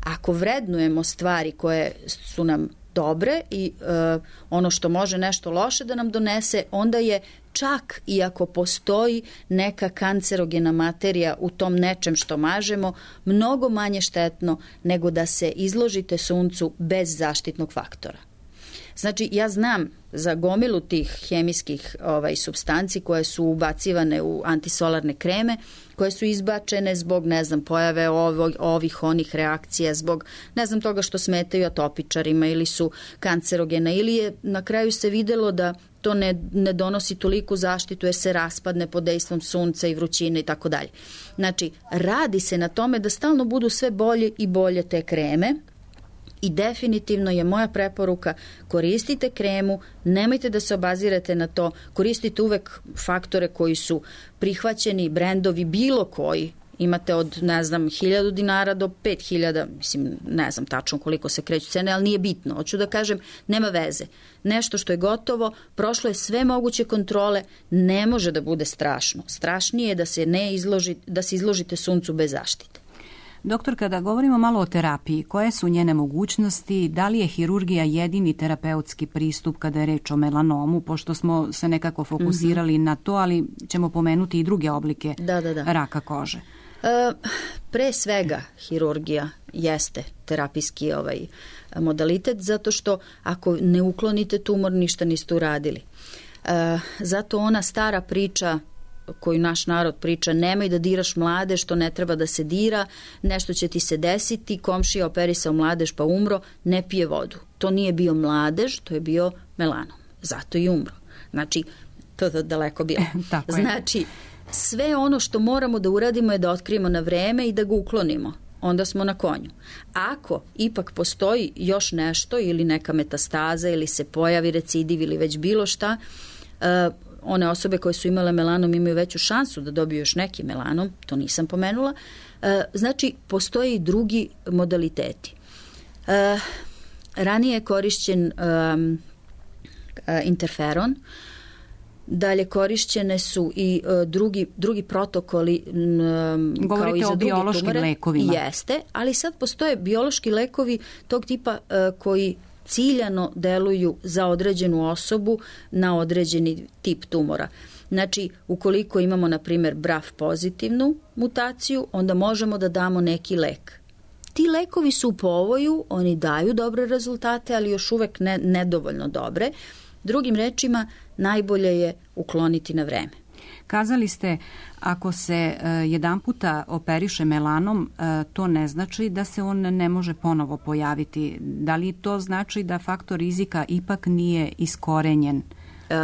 Ako vrednujemo stvari koje su nam dobre i uh, ono što može nešto loše da nam donese, onda je čak i ako postoji neka kancerogena materija u tom nečem što mažemo, mnogo manje štetno nego da se izložite suncu bez zaštitnog faktora. Znači, ja znam za gomilu tih hemijskih ovaj, supstanci koje su ubacivane u antisolarne kreme, koje su izbačene zbog, ne znam, pojave ovih, ovih onih reakcija, zbog, ne znam, toga što smetaju atopičarima ili su kancerogene, ili je na kraju se videlo da to ne, ne donosi toliku zaštitu jer se raspadne pod dejstvom sunca i vrućine i tako dalje. Znači, radi se na tome da stalno budu sve bolje i bolje te kreme. I definitivno je moja preporuka, koristite kremu, nemojte da se obazirate na to, koristite uvek faktore koji su prihvaćeni, brendovi, bilo koji, Imate od, ne znam, hiljadu dinara do pet hiljada, mislim, ne znam tačno koliko se kreću cene, ali nije bitno. Hoću da kažem, nema veze. Nešto što je gotovo, prošlo je sve moguće kontrole, ne može da bude strašno. Strašnije je da se, ne izloži, da se izložite suncu bez zaštite. Doktor, kada govorimo malo o terapiji, koje su njene mogućnosti, da li je hirurgija jedini terapeutski pristup kada je reč o melanomu, pošto smo se nekako fokusirali mm-hmm. na to, ali ćemo pomenuti i druge oblike da, da, da. raka kože. E, pre svega hirurgija jeste terapijski ovaj modalitet, zato što ako ne uklonite tumor, ništa niste uradili. E, zato ona stara priča koju naš narod priča, nemoj da diraš mladež, što ne treba da se dira, nešto će ti se desiti, komšija operisao mladež pa umro, ne pije vodu. To nije bio mladež, to je bio melanom. Zato i umro. Znači, to je daleko bilo. Znači, sve ono što moramo da uradimo je da otkrijemo na vreme i da ga uklonimo. Onda smo na konju. Ako ipak postoji još nešto ili neka metastaza ili se pojavi recidiv ili već bilo šta, uh, one osobe koje su imale melanom imaju veću šansu da dobiju još neki melanom, to nisam pomenula. E, znači, postoje i drugi modaliteti. E, ranije je korišćen um, interferon, dalje korišćene su i uh, drugi, drugi protokoli um, kao i za druge tumore. Biološkim lekovima. Jeste, ali sad postoje biološki lekovi tog tipa uh, koji ciljano deluju za određenu osobu na određeni tip tumora. Znači, ukoliko imamo, na primjer, B R A F pozitivnu mutaciju, onda možemo da damo neki lek. Ti lekovi su u povoju, oni daju dobre rezultate, ali još uvek ne, nedovoljno dobre. Drugim rečima, najbolje je ukloniti na vreme. Kazali ste, ako se uh, jedan puta operiše melanom, uh, to ne znači da se on ne može ponovo pojaviti. Da li to znači da faktor rizika ipak nije iskorenjen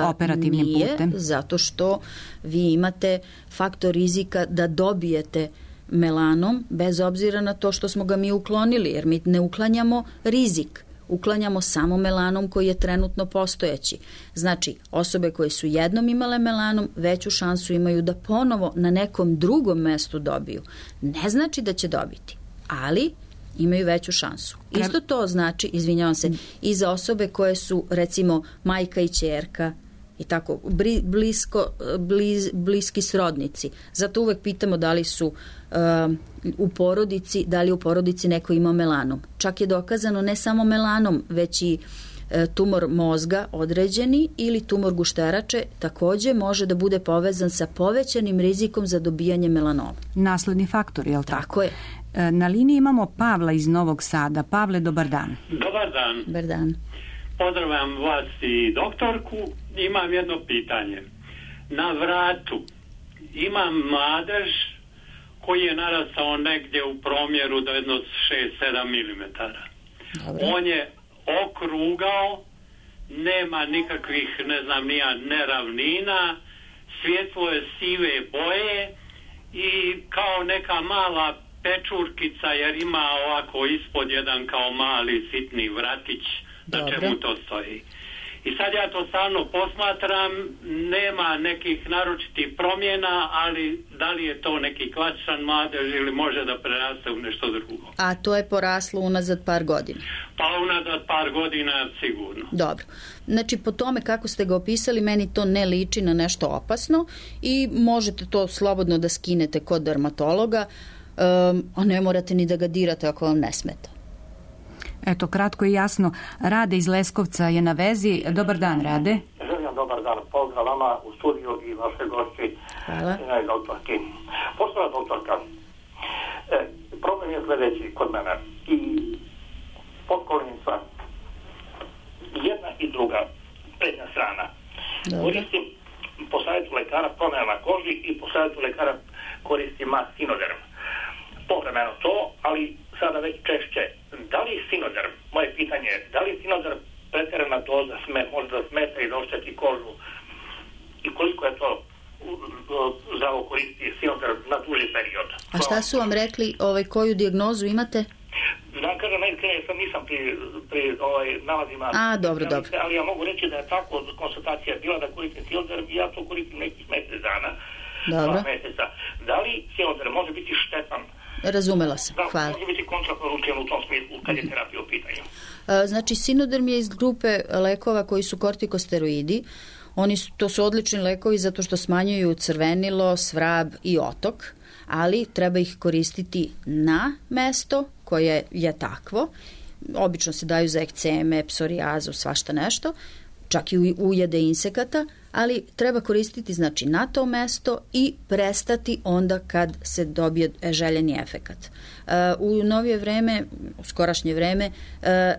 operativnim nije, putem? Nije, zato što vi imate faktor rizika da dobijete melanom, bez obzira na to što smo ga mi uklonili, jer mi ne uklanjamo rizik. Uklanjamo samo melanom koji je trenutno postojeći. Znači, osobe koje su jednom imale melanom, veću šansu imaju da ponovo na nekom drugom mestu dobiju. Ne znači da će dobiti, ali imaju veću šansu. Isto to znači, izvinjavam se, i za osobe koje su, recimo, majka i ćerka i tako, blisko, bliz, bliski srodnici. Zato uvek pitamo da li su uh, u porodici, da li u porodici neko ima melanom. Čak je dokazano ne samo melanom, već i uh, tumor mozga određeni ili tumor gušterače takođe može da bude povezan sa povećanim rizikom za dobijanje melanoma. Nasledni faktor, je li tako? Tako je. Na liniji imamo Pavla iz Novog Sada. Pavle, dobar dan. Dobar dan. Dobar dan. Pozdravljam vas i doktorku. Imam jedno pitanje. Na vratu imam mladež koji je narastao negdje u promjeru do jedno šest sedam milimetara. On je okrugao, nema nikakvih, ne znam, nija neravnina, svjetlo je sive boje i kao neka mala pečurkica, jer ima ovako ispod jedan kao mali sitni vratić. Na čemu to stoji. I sad ja to stalno posmatram, nema nekih naročitih promjena, ali da li je to neki klasičan mladež ili može da preraste u nešto drugo? A to je poraslo unazad par godina? Pa unazad par godina sigurno. Dobro. Znači, po tome kako ste ga opisali, meni to ne liči na nešto opasno i možete to slobodno da skinete kod dermatologa, um, a ne morate ni da ga dirate ako vam ne smeta. Eto, kratko i jasno. Rade iz Leskovca je na vezi. Dobar dan, Rade. Želim dobar dan. Pozdrav vama u studiju i vaše gošći. Hvala. I doktorki. Poštovana doktorka, e, problem je sledeći kod mene. I potkoljenica, jedna i druga, prednja strana. Koristim po savjetu lekara promjena na koži i po savjetu lekara koristim Sinoderm. Povremeno to, ali sada već češće. Da li Sinoderm, moje pitanje je, da li Sinoderm pretjerana doza sme, može da smeta i da ošteti kožu i koliko je to za ovo koristi Sinoderm na duži period? A šta su vam rekli, ovaj, koju dijagnozu imate? Da, kažem, najiskrenije sam nisam pri, pri ovaj, nalazima. A, dobro, dobro. Ali ja mogu reći da je tako konstatacija bila da koristim Sinoderm i ja to koristim nekih mesec dana. Dobro. Dva meseca. Da li Sinoderm može biti razumela sam. Da, hvala. može biti kontraproduktivno u tom smislu kad je terapija u pitanju. Znači, Sinoderm je iz grupe lekova koji su kortikosteroidi. Oni su, to su odlični lekovi zato što smanjuju crvenilo, svrab i otok, ali treba ih koristiti na mesto koje je takvo. Obično se daju za ekceme, psorijazu, svašta nešto, čak i ujede insekata, ali treba koristiti znači na to mesto i prestati onda kad se dobije željeni efekat. U novije vreme, u skorašnje vreme,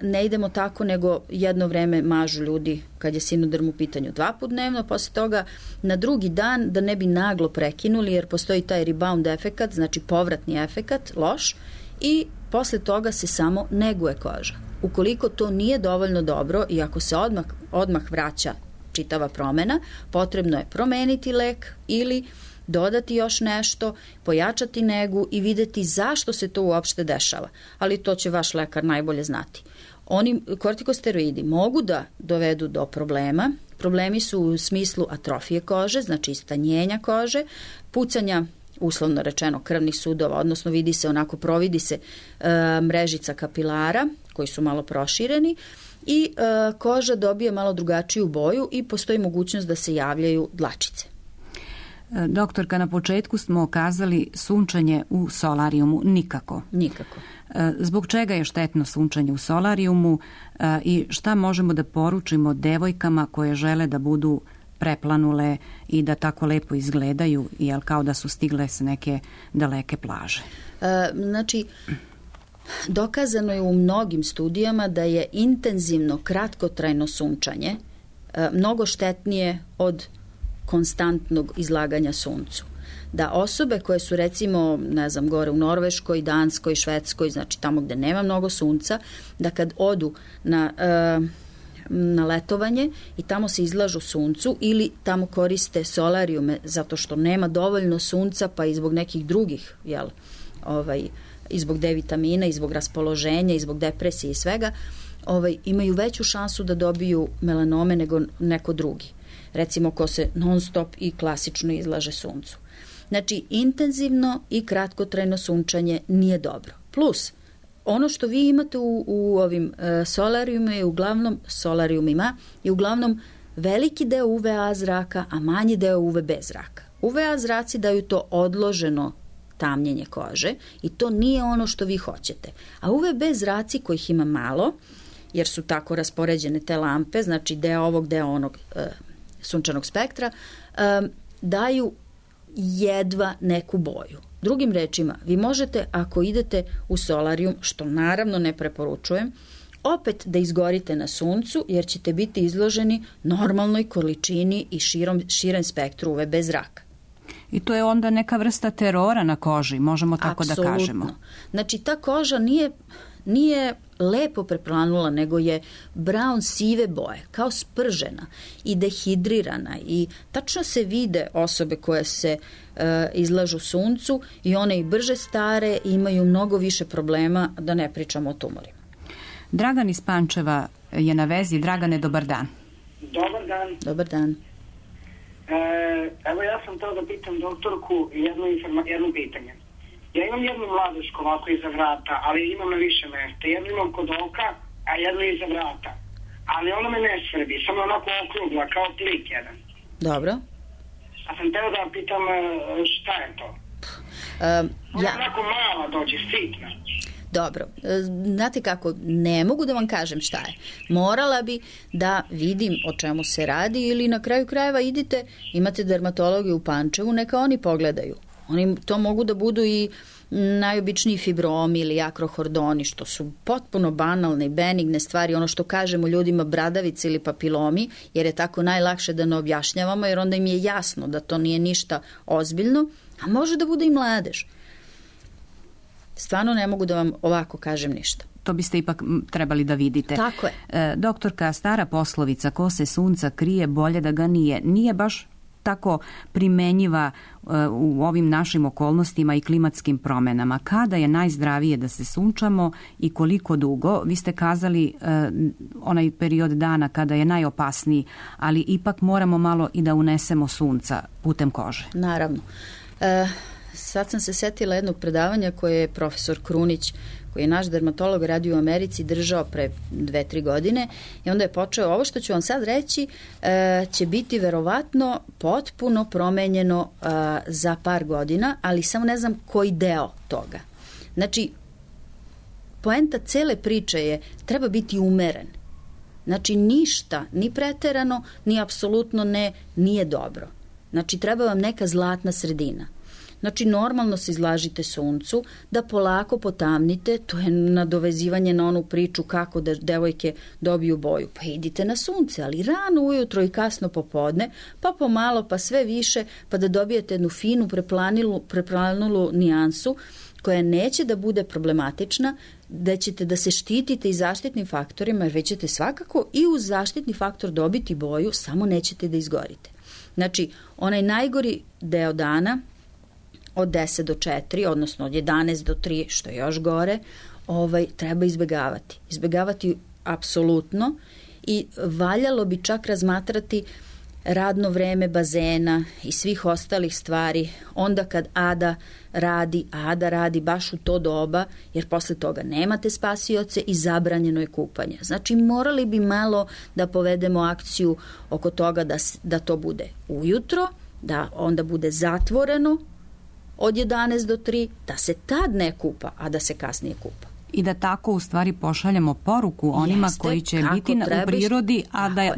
ne idemo tako, nego jedno vreme mažu ljudi kad je Sinoderm u pitanju dva put dnevno, posle toga na drugi dan da ne bi naglo prekinuli jer postoji taj rebound efekat, znači povratni efekat, loš, i posle toga se samo neguje koža. Ukoliko to nije dovoljno dobro i ako se odmah, odmah vraća čitava promena, potrebno je promeniti lek ili dodati još nešto, pojačati negu i videti zašto se to uopšte dešava. Ali to će vaš lekar najbolje znati. Oni kortikosteroidi mogu da dovedu do problema. Problemi su u smislu atrofije kože, znači istanjenja kože, pucanja, uslovno rečeno, krvnih sudova, odnosno vidi se onako, providi se e, mrežica kapilara koji su malo prošireni i e, koža dobije malo drugačiju boju i postoji mogućnost da se javljaju dlačice. Doktorka, na početku smo kazali sunčanje u solarijumu nikako. Nikako. Zbog čega je štetno sunčanje u solarijumu i šta možemo da poručimo devojkama koje žele da budu preplanule i da tako lepo izgledaju, jel kao da su stigle s neke daleke plaže? E, znači, dokazano je u mnogim studijama da je intenzivno kratkotrajno sunčanje e, mnogo štetnije od konstantnog izlaganja suncu. Da osobe koje su recimo, ne znam, gore u Norveškoj, Danskoj, Švedskoj, znači tamo gde nema mnogo sunca, da kad odu na, e, na letovanje i tamo se izlažu suncu ili tamo koriste solarijume zato što nema dovoljno sunca pa i zbog nekih drugih, jel, ovaj, i zbog D vitamina, i zbog raspoloženja, i zbog depresije i svega, ovaj, imaju veću šansu da dobiju melanome nego neko drugi. Recimo ko se non stop i klasično izlaže suncu. Znači, intenzivno i kratkotrajno sunčanje nije dobro. Plus, ono što vi imate u, u ovim e, solarijumima je uglavnom, solarijumima je uglavnom veliki deo U V A zraka, a manji deo U V B zraka. U V A zraci daju to odloženo tamnjenje kože i to nije ono što vi hoćete. A U V B zraci, kojih ima malo, jer su tako raspoređene te lampe, znači deo ovog, deo onog e, sunčanog spektra, e, daju jedva neku boju. Drugim rečima, vi možete, ako idete u solarijum, što naravno ne preporučujem, opet da izgorite na suncu, jer ćete biti izloženi normalnoj količini i širom, širem spektru U V B zraka. I to je onda neka vrsta terora na koži, možemo tako Apsolutno. Da kažemo. Znači, ta koža nije, nije lepo preplanula, nego je brown sive boje, kao spržena i dehidrirana i tačno se vide osobe koje se e, izlažu suncu i one i brže stare i imaju mnogo više problema, da ne pričamo o tumorima. Dragan iz Pančeva je na vezi. Dragane, dobar dan. Dobar dan. Dobar dan. E, evo ja sam teo da pitam doktorku jedno, informa, jedno pitanje. Ja imam jednu mladušku ovako iza vrata, ali imam na više mesta. Jednu imam kod oka, a jednu iza vrata. Ali ona me ne svrbi, samo onako okrugla, kao klik jedan. Dobro. A sam teo da pitam šta je to? Um, ona ja... onako mala dođe, sitna. Dobro, znate kako, ne mogu da vam kažem šta je. Morala bi da vidim o čemu se radi ili na kraju krajeva idite, imate dermatologe u Pančevu, neka oni pogledaju. Oni to mogu da budu i najobičniji fibromi ili akrohordoni, što su potpuno banalne i benigne stvari, ono što kažemo ljudima bradavice ili papilomi, jer je tako najlakše da ne objašnjavamo, jer onda im je jasno da to nije ništa ozbiljno, a može da bude i mladež. Stvarno ne mogu da vam ovako kažem ništa. To biste ipak trebali da vidite. Tako je. E, doktorka, stara poslovica, ko se sunca krije, bolje da ga nije. Nije baš tako primenjiva e, u ovim našim okolnostima i klimatskim promenama. Kada je najzdravije da se sunčamo i koliko dugo? Vi ste kazali e, onaj period dana kada je najopasniji, ali ipak moramo malo i da unesemo sunca putem kože. Naravno. E, sad sam se setila jednog predavanja koje je profesor Krunić, koji je naš dermatolog, radio u Americi, držao pre dve, tri godine i onda je počeo, ovo što ću vam sad reći e, će biti verovatno potpuno promenjeno e, za par godina, ali samo ne znam koji deo toga. Znači, poenta cele priče je, treba biti umeren. Znači, ništa, ni preterano, ni apsolutno ne, nije dobro. Znači, treba vam neka zlatna sredina. Znači, normalno se izlažite suncu, da polako potamnite, to je nadovezivanje na onu priču kako da devojke dobiju boju. Pa idite na sunce, ali rano ujutro i kasno popodne, pa pomalo, pa sve više, pa da dobijete jednu finu preplanulu, preplanulu nijansu koja neće da bude problematična, da ćete da se štitite i zaštitnim faktorima, jer već ćete svakako i uz zaštitni faktor dobiti boju, samo nećete da izgorite. Znači, onaj najgori deo dana, od deset do četiri, odnosno od jedanaest do tri, što je još gore, ovaj, treba izbegavati. Izbegavati apsolutno i valjalo bi čak razmatrati radno vreme bazena i svih ostalih stvari onda kad Ada radi, a Ada radi baš u to doba, jer posle toga nemate spasioce i zabranjeno je kupanje. Znači, morali bi malo da povedemo akciju oko toga da, da to bude ujutro, da onda bude zatvoreno od jedanaest do tri, da se tad ne kupa, a da se kasnije kupa. I da tako u stvari pošaljemo poruku onima Jeste, koji će biti na, trebaš, u prirodi, a da e,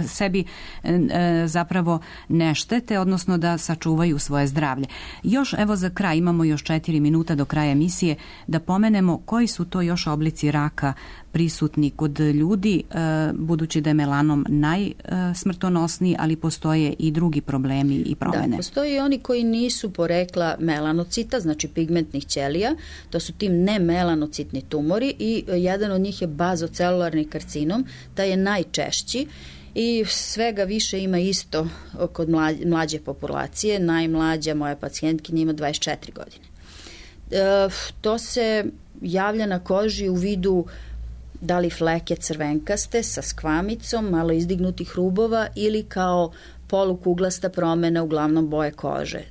sebi e, zapravo ne štete, odnosno da sačuvaju svoje zdravlje. Još, evo za kraj, imamo još četiri minuta do kraja emisije, da pomenemo koji su to još oblici raka prisutni kod ljudi, e, budući da je melanom najsmrtonosniji, ali postoje i drugi problemi i promene. Da, postoje i oni koji nisu porekla melanocita, znači pigmentnih ćelija, to su tim nemelanocitni tumori i jedan od njih je bazocelularni karcinom, taj je najčešći i svega više ima isto kod mlađe populacije. Najmlađa moja pacijentkinja ima dvadeset četiri godine. E, to se javlja na koži u vidu da li fleke crvenkaste sa skvamicom, malo izdignutih rubova ili kao polukuglasta promena uglavnom boje kože.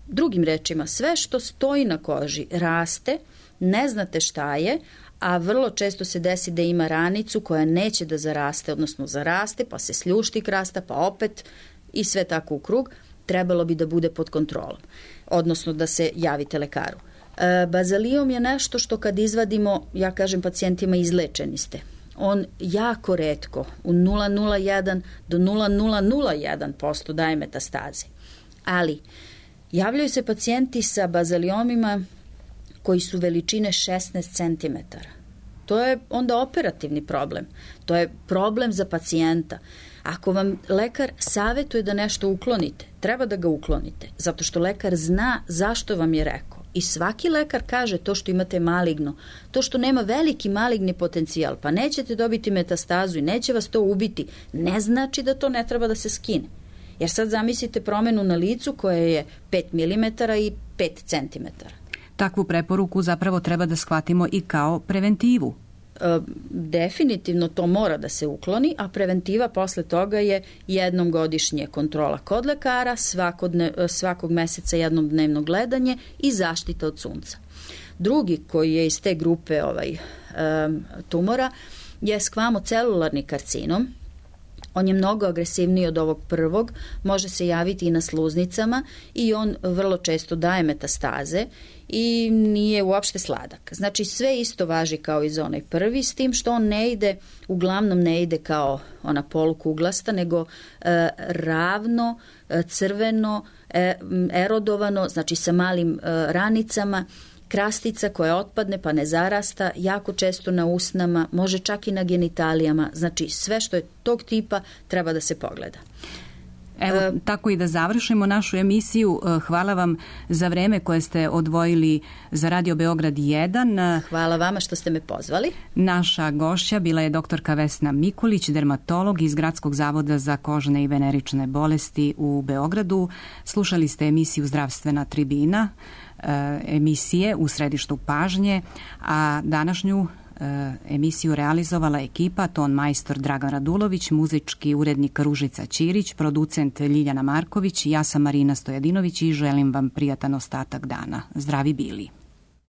Drugim rečima, sve što stoji na koži raste, ne znate šta je, a vrlo često se desi da ima ranicu koja neće da zaraste, odnosno zaraste, pa se sljušti krasta, pa opet i sve tako u krug, trebalo bi da bude pod kontrolom, odnosno da se javite lekaru. E, bazaliom je nešto što kad izvadimo, ja kažem pacijentima, izlečeni ste. On jako retko, u nula zarez nula jedan do nula zarez nula nula jedan posto daje metastaze. Ali javljaju se pacijenti sa bazaliomima koji su veličine šesnaest centimetara. To je onda operativni problem. To je problem za pacijenta. Ako vam lekar savetuje da nešto uklonite, treba da ga uklonite, zato što lekar zna zašto vam je rekao. I svaki lekar kaže to što imate maligno, to što nema veliki maligni potencijal, pa nećete dobiti metastazu i neće vas to ubiti, ne znači da to ne treba da se skine. Jer sad zamislite promenu na licu koje je pet milimetara i pet centimetara. Takvu preporuku zapravo treba da shvatimo i kao preventivu. E, definitivno to mora da se ukloni, a preventiva posle toga je jednom godišnje kontrola kod lekara, svakodne, svakog meseca jednom dnevno gledanje i zaštita od sunca. Drugi koji je iz te grupe ovaj, e, tumora je skvamocelularni karcinom. On je mnogo agresivniji od ovog prvog, može se javiti i na sluznicama i on vrlo često daje metastaze i nije uopšte sladak. Znači sve isto važi kao i za onaj prvi, s tim što on ne ide, uglavnom ne ide kao ona polukuglasta, nego e, ravno, e, crveno, e, erodovano, znači sa malim e, ranicama, krastica koja otpadne pa ne zarasta, jako često na usnama, može čak i na genitalijama, znači sve što je tog tipa treba da se pogleda. Evo, e, tako i da završimo našu emisiju. Hvala vam za vreme koje ste odvojili za Radio Beograd jedan. Hvala vama što ste me pozvali. Naša gošća bila je doktorka Vesna Mikulić, dermatolog iz Gradskog zavoda za kožne i venerične bolesti u Beogradu. Slušali ste emisiju Zdravstvena tribina, emisije u središtu pažnje, a današnju emisiju realizovala ekipa ton majstor Dragan Radulović, muzički urednik Ružica Ćirić, producent Ljiljana Marković, ja sam Marina Stojadinović i želim vam prijatan ostatak dana. Zdravi bili.